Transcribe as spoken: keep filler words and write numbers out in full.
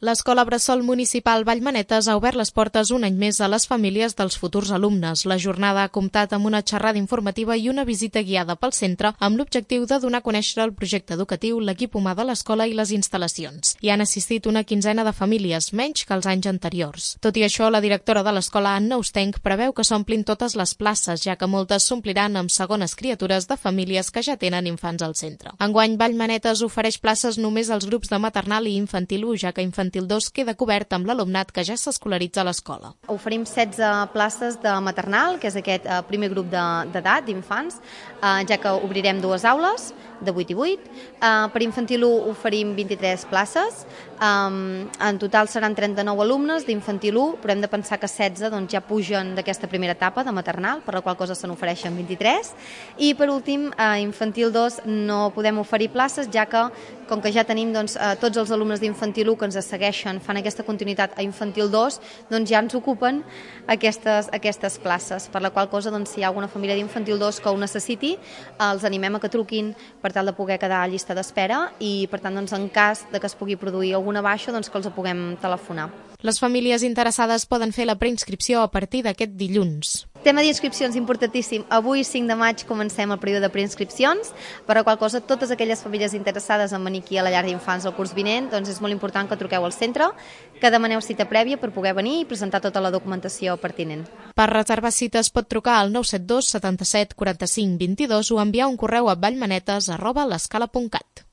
L'Escola Bressol Municipal Vallmanetes ha obert les portes un any més a les famílies dels futurs alumnes. La jornada ha comptat amb una xerrada informativa i una visita guiada pel centre amb l'objectiu de donar a conèixer el projecte educatiu, l'equip humà de l'escola i les instal·lacions. Hi han assistit una quinzena de famílies, menys que els anys anteriors. Tot i això, la directora de l'escola, Anna Ostenc, preveu que s'omplin totes les places, ja que moltes s'ompliran amb segones criatures de famílies que ja tenen infants al centre. Enguany, Vallmanetes ofereix places només als grups de maternal i infantil u, ja que infantil Infantil dos queda cobert amb l'alumnat que ja s'escolaritza a l'escola. Oferim setze places de maternal, que és aquest eh, primer grup d'edat, de, d'infants, eh, ja que obrirem dues aules, de vuit i vuit. Eh, per infantil u oferim vint-i-tres places, eh, en total seran trenta-nou alumnes d'infantil u, però hem de pensar que setze doncs, ja pugen d'aquesta primera etapa de maternal, per la qual cosa se n'ofereixen vint-i-tres. I per últim, a infantil dos no podem oferir places, ja que, com que ja tenim doncs, eh, tots els alumnes d'infantil u que ens segueixen, fan aquesta continuïtat a infantil dos, doncs ja ens ocupen aquestes, aquestes places, per la qual cosa, doncs, si hi ha alguna família d'infantil dos que ho necessiti, els animem a que truquin per tal de poder quedar a llista d'espera i, per tant, doncs, en cas de que es pugui produir alguna baixa, doncs, que els puguem telefonar. Les famílies interessades poden fer la preinscripció a partir d'aquest dilluns. Tema d'inscripcions importantíssim. Avui, cinc de maig, comencem el període de preinscripcions, per la qual cosa totes aquelles famílies interessades en venir aquí a la llar d'infants el curs vinent, doncs és molt important que truqueu al centre, que demaneu cita prèvia per poder venir i presentar tota la documentació pertinent. Per reservar cites pot trucar al nou set dos setanta-set quaranta-cinc vint-i-dos o enviar un correu a vallmanetes arroba l'escala punt cat.